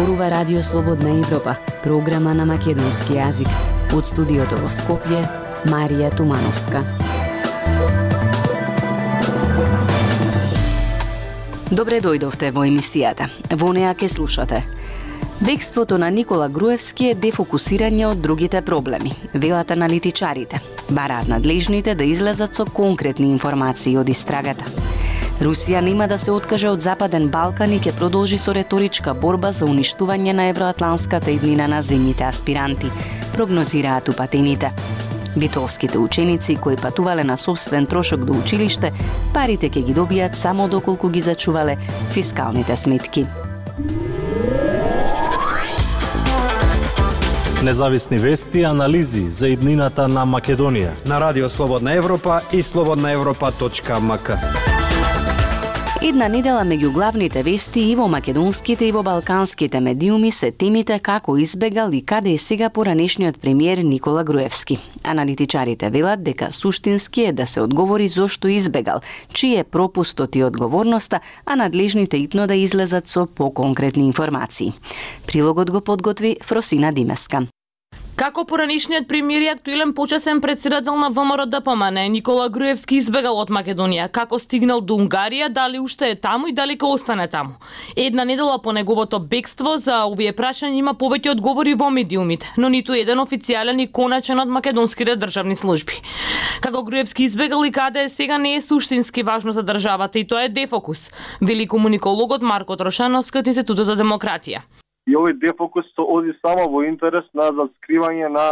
зборува Радио Слободна Европа, програма на македонски јазик. Од студиото во Скопје, Марија Тумановска. Добре дојдовте во емисијата. Во неа ке слушате. Бегството на Никола Груевски е дефокусирање од другите проблеми, велат аналитичарите. Бараат надлежните да излезат со конкретни информации од истрагата. Русија нема да се откаже од Западен Балкан и ќе продолжи со реторичка борба за уништување на евроатланската иднина на земјите аспиранти, прогнозираат упатените. Битолските ученици кои патувале на собствен трошок до училиште, парите ќе ги добијат само доколку ги зачувале фискалните сметки. Независни вести и анализи за иднината на Македонија на Радио Слободна Европа и slobodnaevropa.mk. Една недела меѓу главните вести и во македонските и во балканските медиуми се темите како избегал и каде е сега поранешниот премиер Никола Груевски. Аналитичарите велат дека суштински е да се одговори зошто избегал, чиј е пропустот и одговорноста, а надлежните итно да излезат со поконкретни информации. Прилогот го подготви Фросина Димеска. Како поранишниот премиер и актуелен почесен председател на ВМРО-ДПМН Никола Груевски избегал од Македонија, како стигнал до Унгарија, дали уште е таму и дали ќе остане таму. Една недела по неговото бегство за овие прашања има повеќе одговори во медиумите, но ниту еден официјален и конечен од македонските државни служби. Како Груевски избегал и каде е сега не е суштински важно за државата и тоа е дефокус, вели комуникологот Марко Трошановски од Институтот за демократија. И овој дефокус се оди само во интерес на заскривање на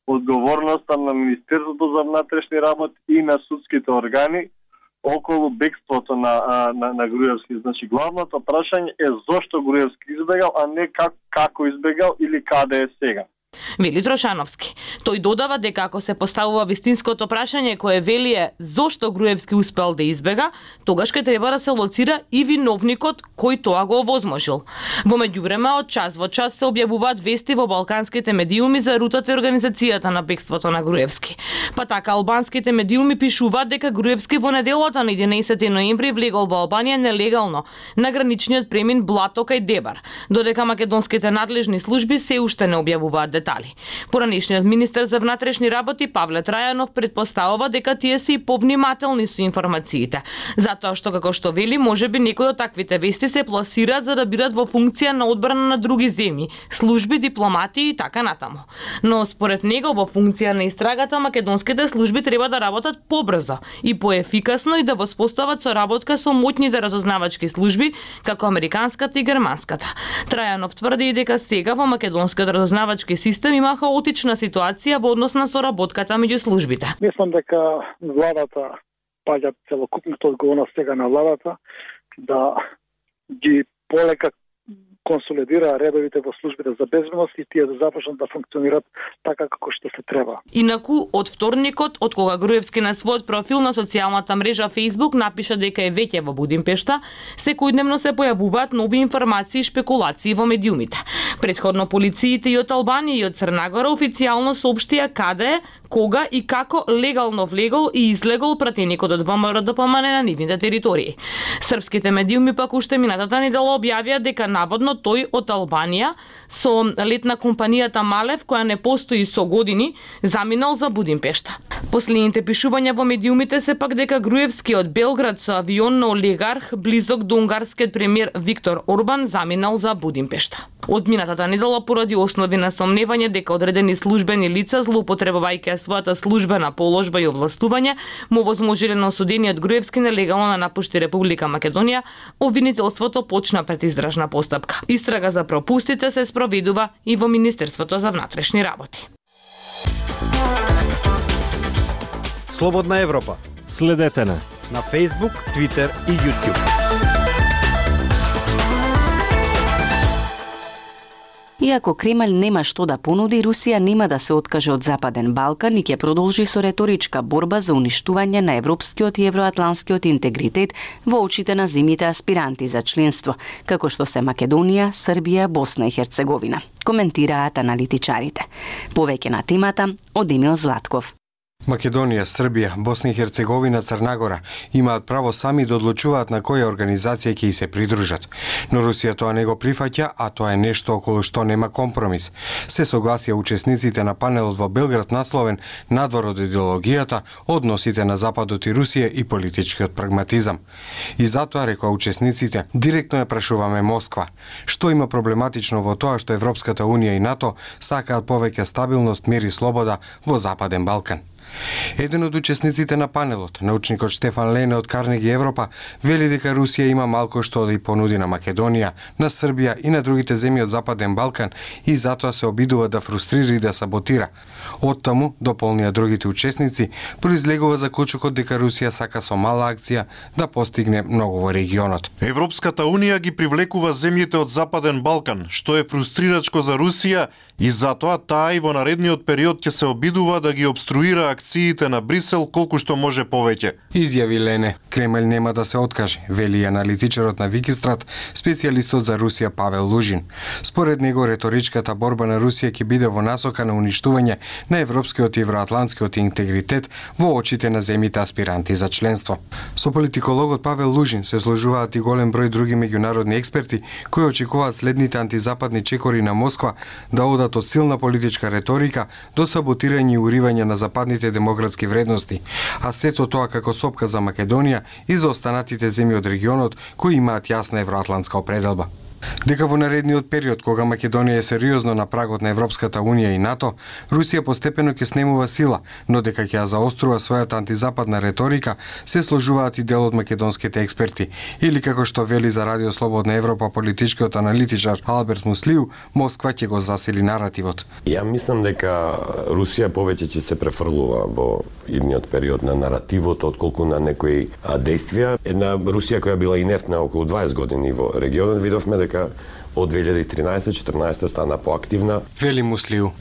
одговорноста на Министерството за внатрешни работи и на судските органи околу бегството на Груевски. Значи, главното прашање е зошто Груевски избегал, а не како избегал или каде е сега. Вели Трошановски. Тој додава дека ако се поставува вистинското прашање кое вели е зошто Груевски успел да избега, тогаш ќе треба да се лоцира и виновникот кој тоа го овозможил. Во меѓувреме, од час во час се објавуваат вести во балканските медиуми за рутата и организацијата на бегството на Груевски. Па така албанските медиуми пишуваат дека Груевски во неделата на 11 ноември влегол во Албанија нелегално на граничниот премин Блато кај Дебар, додека македонските надлежни служби се уште не објавуваат детали. Поранешниот министер за внатрешни работи Павле Трајанов предпоставува дека тие се и повнимателни со информациите, затоа што како што вели можеби некои од таквите вести се пласираат за да бидат во функција на одбрана на други земји, служби, дипломати и така натаму. Но според него во функција на истрагата македонските служби треба да работат побрзо и поефикасно и да воспостават соработка со моќните разузнавачки служби како американската и германската. Трајанов тврди дека сега во македонскиот разузнавачки систем има хаотична ситуација во однос на соработката меѓу службите. Мислам дека владата паѓа целокупната одговорност сега на владата да ги полека консолидира редовите во службите за безбедност и тие да започнат да функционираат така како што се треба. Инаку, од вторникот, од кога Груевски на својот профил на социјалната мрежа Facebook напиша дека е веќе во Будимпешта, секојдневно се појавуваат нови информации и шпекулации во медиумите. Предходно полициите и од Албанија и од Црна Гора официјално соопштија каде, кога и како легално влегол и излегол пратеникот од ВМРО-ДПМН на нивните територии. Српските медиуми пак уште минатата недела објавија дека наводно тој од Албанија со лет на компанијата Малев, која не постои со години, заминал за Будимпешта. Последните пишувања во медиумите се пак дека Груевски од Белград со авион на олигарх близок до унгарскиот премиер Виктор Орбан заминал за Будимпешта. Од минатата недела поради основи на сомневање дека одредени службени лица злоупотребувајќи својата службена положба и овластување му возможиле на осудениот Груевски нелегално да напушти Република Македонија, обвинителството почна предизражна постапка. Истрага за пропустите се спроведува и во Министерството за внатрешни работи. Слободна Европа. Следете на Facebook, Twitter и YouTube. Иако Кремљ нема што да понуди, Русија нема да се откаже од Западен Балкан и ќе продолжи со реторичка борба за уништување на европскиот и евроатланскиот интегритет во очите на земјите аспиранти за членство, како што се Македонија, Србија, Босна и Херцеговина, коментираат аналитичарите. Повеќе на темата од Емил Златков. Македонија, Србија, Босна и Херцеговина, Црна Гора имаат право сами да одлучуваат на која организација ќе се придружат. Но Русија тоа не го прифаќа, а тоа е нешто околу што нема компромис. Се согласија учесниците на панелот во Белград насловен "Надвор од идеологијата, односите на Западот и Русија и политичкиот прагматизам". И затоа, рекоа учесниците, директно ја прашуваме Москва. Што има проблематично во тоа што Европската Унија и НАТО сакаат повеќе стабилност, мир и слобода во Западен Балкан? Еден од учесниците на панелот, научникот Штефан Лене од Карнеги Европа, вели дека Русија има малку што да и понуди на Македонија, на Србија и на другите земји од Западен Балкан и затоа се обидува да фрустрира и да саботира. Оттаму, дополнија другите учесници, произлегува заклучокот дека Русија сака со мала акција да постигне многу во регионот. Европската Унија ги привлекува земјите од Западен Балкан, што е фрустрирачко за Русија и затоа таа и во наредниот период ќе се обидува да ги обструира акциите на Брисел колку што може повеќе. Изјави Лене, Кремљ нема да се откаже, вели аналитичарот на Викистрат, специјалистот за Русија Павел Лужин. Според него реторичката борба на Русија ќе биде во насока на уништување на европскиот и евроатлантскиот интегритет во очите на земјите аспиранти за членство. Со политикологот Павел Лужин се сложуваат и голем број други меѓународни експерти кои очекуваат следните антизападни чекори на Москва да одат од силна политичка реторика до саботирање и уривање на западните демократски вредности, а сето тоа како сопка за Македонија и за останатите земји од регионот кои имаат јасна евроатлантска определба. Дека во наредниот период, кога Македонија е сериозно на прагот на Европската Унија и НАТО, Русија постепено ќе снемува сила, но дека ќе ја заострува својата антизападна реторика, се сложуваат и дел од македонските експерти. Или како што вели за Радио Слободна Европа политичкиот аналитичар Алберт Муслиу, Москва ќе го засили наративот. Ја мислам дека Русија повеќе ќе се префрлува во идниот период на наративот отколку на некои действија. Една Русија која била инертна околу 20 години во регионот, видовме дека од 2013-14 стана поактивна. Вели Муслиу.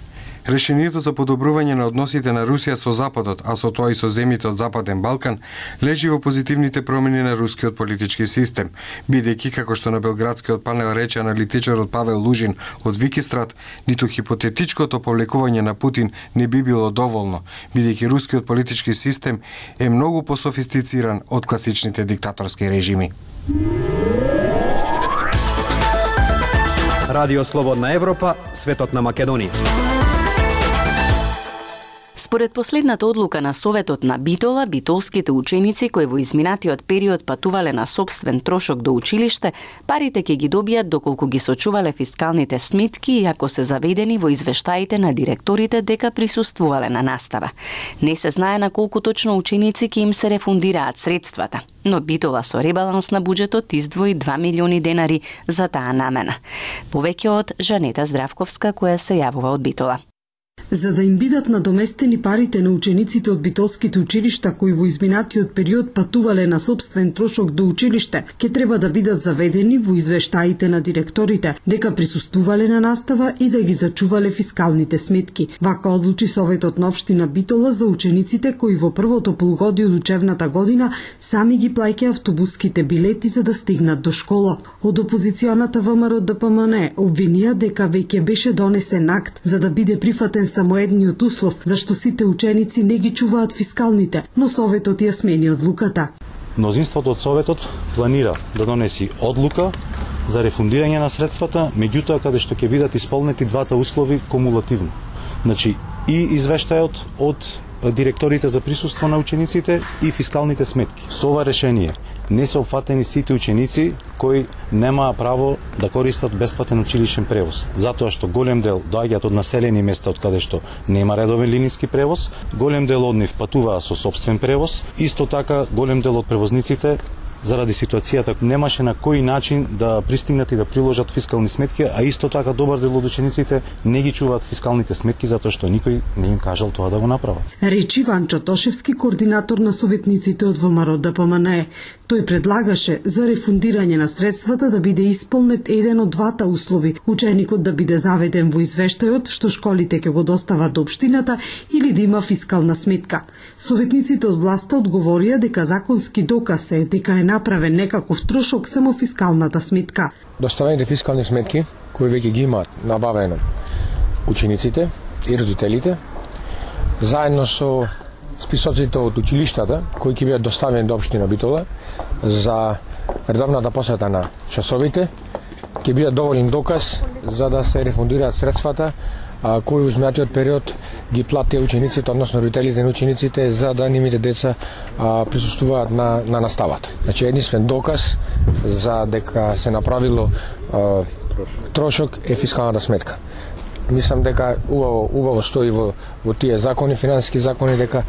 Решението за подобрување на односите на Русија со Западот, а со тоа и со земјите од Западен Балкан, лежи во позитивните промени на рускиот политички систем, бидејќи, како што на белградскиот панел рече аналитичарот Павел Лужин од Викистрат, ниту хипотетичкото повлекување на Путин не би било доволно, бидејќи рускиот политички систем е многу пософистициран од класичните диктаторски режими. Радио Слободна Европа, светот на Македонија. Според последната одлука на Советот на Битола, битолските ученици кои во изминатиот период патувале на сопствен трошок до училиште, парите ќе ги добијат доколку ги сочувале фискалните сметки и ако се заведени во извештаите на директорите дека присуствувале на настава. Не се знае на колку точно ученици ќе им се рефундираат средствата, но Битола со ребаланс на буџетот издвои 2 милиони денари за таа намена. Повеќе од Жанета Здравковска која се јавува од Битола. За да им бидат надоместени парите на учениците од битолските училишта кои во изминатиот период патувале на сопствен трошок до училиште, ќе треба да бидат заведени во извештаите на директорите дека присуствувале на настава и да ги зачувале фискалните сметки. Вака одлучи Советот на општина Битола за учениците кои во првото полугодие од учебната година сами ги плаќаат автобуските билети за да стигнат до школа. Од опозиционата ВМРО ДПМН обвинија дека веќе беше донесен акт за да биде прифатен само едниот услов, зашто сите ученици не ги чуваат фискалните, но Советот ја смени одлуката. Мнозинството од Советот планира да донеси одлука за рефундирање на средствата, меѓутоа каде што ќе бидат исполнети двата услови кумулативно. Значи и извештајот од директорите за присуство на учениците и фискалните сметки. Со ова решение не се опфатени сите ученици кои немаа право да користат бесплатен училишен превоз, затоа што голем дел доаѓаат од населени места од каде што нема редовен линиски превоз, голем дел од нив патуваа со сопствен превоз, исто така голем дел од превозниците заради ситуацијата немаше на кој начин да пристигнат и да приложат фискални сметки, а исто така добар дел од учениците не ги чуваат фискалните сметки затоа што никој не им кажал тоа да го направат. Речи Ванчо Тошевски, координатор на советниците од ВМРО ДПМН. Тој предлагаше за рефундирање на средствата да биде исполнет еден од двата услови, ученикот да биде заведен во извештајот што школите ќе го достават до општината или да има фискална сметка. Советниците од власта одговорија дека законски доказ е дека е направен некаков трошок само фискалната сметка. Доставените фискални сметки кои веќе ги имаат набавено учениците и родителите, заедно со списоците од училиштата кои ќе бидат доставени до општина Битола за редовната посета на часовите ќе бидат доволен доказ за да се рефундираат средствата кои во изминатиот период ги платија учениците, односно родителите на учениците, за да нивните деца присуствуваат на наставата. Значи единствен доказ за дека се направило трошок е фискалната сметка. Мислам дека убаво стои во тие закони, финансиски закони, дека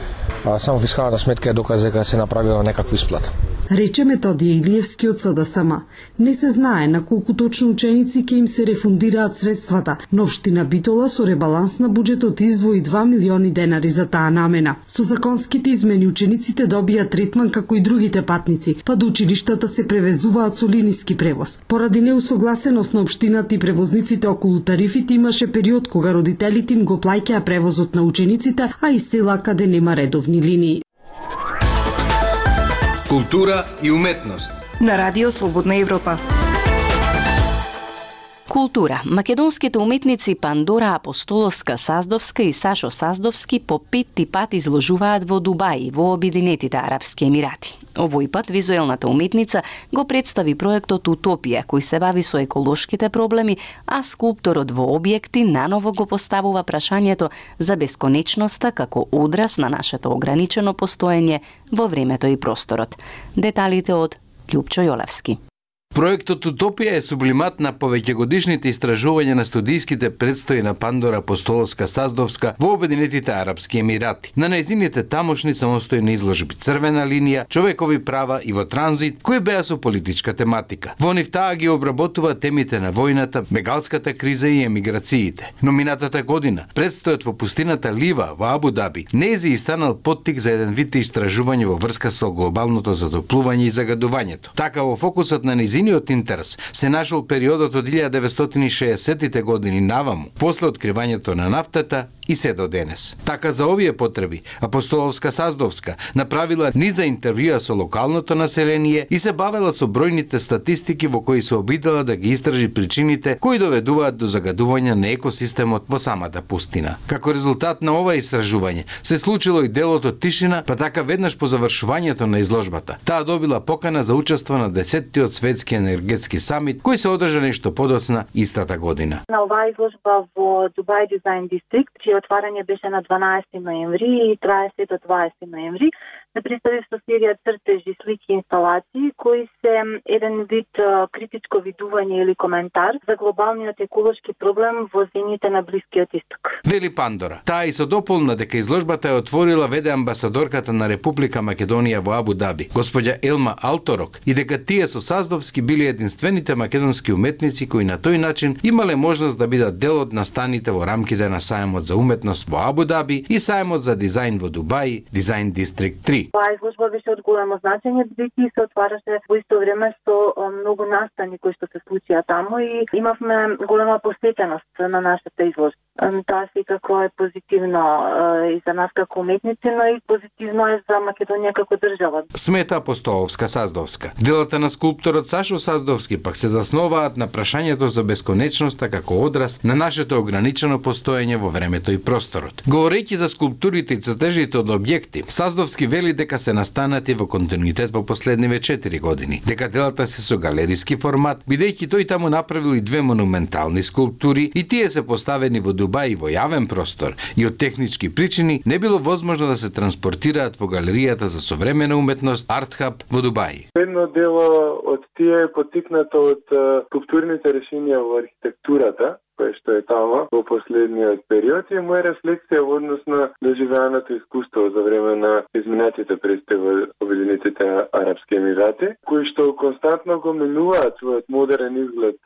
само фискалната сметка е доказ дека се направила некаква исплата. Рече Методија Илиевски од СДСМ. Не се знае на колку точно ученици ќе им се рефундираат средствата, но општина Битола со ребаланс на буџетот издвои 2 милиони денари за таа намена. Со законските измени учениците добија третман како и другите патници, па до училиштата се превезуваат со линиски превоз. Поради неусогласеност на општината и превозниците околу тарифите имаше период кога родителите им го плаќаа превозот на учениците, а и села каде нема редовни линии. Култура и уметност на Радио Слободна Европа. Култура. Македонските уметници Пандора Апостоловска-Саздовска и Сашо Саздовски по 5 пат изложуваат во Дубај, во Обединетите Арапски Емирати. Овој пат визуелната уметница го представи проектот Утопија, кој се бави со еколошките проблеми, а скулпторот во објекти наново го поставува прашањето за бесконечноста како одраз на нашето ограничено постоење во времето и просторот. Деталите од Љупчо Јолевски. Проектот Утопија е сублимат на повеќегодишните истражувања на студијските предстои на Пандора Апостоловска-Саздовска во Обединетите Арапски Емирати. На нејзините тамошни самостојни изложби Црвена линија, човекови права и во транзит, кои беа со политичка тематика. Во нив таа ги обработува темите на војната, бегалската криза и емиграциите. Но минатата година предстојот во пустината Лива во Абу Даби нејзи станал поттик за еден вид истражување во врска со глобалното затоплување и загадувањето. Така во фокусот на нејзиниот интерес се нашол периодот од 1960-тите години наваму, после откривањето на нафтата и се до денес. Така за овие потреби Апостоловска-Саздовска направила низа интервјуа со локалното население и се бавела со бројните статистики во кои се обидела да ги истражи причините кои доведуваат до загадување на екосистемот во самата пустина. Како резултат на ова истражување се случило и делото Тишина, па така веднаш по завршувањето на изложбата. Таа добила покана за учество на 10-тиот светски енергетски самит кој се одржа нешто подоцна истата година. На оваа изложба во Дубај Дизајн Дистрикт, чие отварање беше на 12 ноември и трае се до 20 ноември, се представи со серија цртежи, слики и инсталации кои се еден вид критичко видување или коментар за глобалниот еколошки проблем во земјите на Блискиот Исток. Вели Пандора. Таа и со дополна дека изложбата ја отворила веде амбасадорката на Република Македонија во Абу Даби, господја Елма Алторок, и дека тие со Саздовски били единствените македонски уметници кои на тој начин имале можност да бидат дел од настаните во рамките на сајмот за уметност во Абу Даби и сајмот за дизајн во Дубај, Дизајн Дистрикт 3. Оваа изложба беше од големо значење, бидејќи се отвараше во исто време со многу настани кои што се случија таму и имавме голема посетеност на нашата изложба. Таа секако е позитивно и за нас како уметници, но и позитивно е за Македонија како држава. Смета Апостоловска-Саздовска. Делата на скулпторот Сашо Саздовски пак се засноваат на прашањето за бесконечноста како одраз на нашето ограничено постоење во времето и просторот. Говорејќи за скулптурите и цртежите од објекти, Саздовски вели дека се настанати во континуитет во последниве 4 години, дека делата се со галериски формат, бидејќи тој таму направил и 2 монументални скулптури и тие се поставени во Дубај во јавен простор и од технички причини не било возможно да се транспортираат во галеријата за современа уметност Артхаб во Дубај. Едно дело од тие е потикнато од скулптурните решенија во архитектурата, кој што е тама во последниот период и моја рефлексија во однос на доживеаното искуство за време на изминатите престои во Обединетите Арапски Емирати, кои што константно го менуваат својот модерен изглед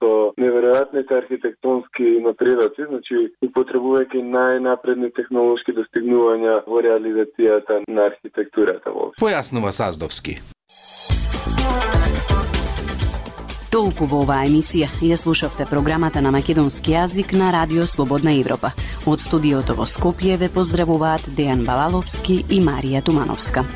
со неверојатните архитектонски напредоци, значи употребувајќи најнапредни технолошки достигнувања во реализацијата на архитектурата воопшто. Појаснува Саздовски. Толку во оваа емисија. Ја слушавте програмата на македонски јазик на Радио Слободна Европа. Од студиото во Скопје ве поздравуваат Дејан Балаловски и Марија Тумановска.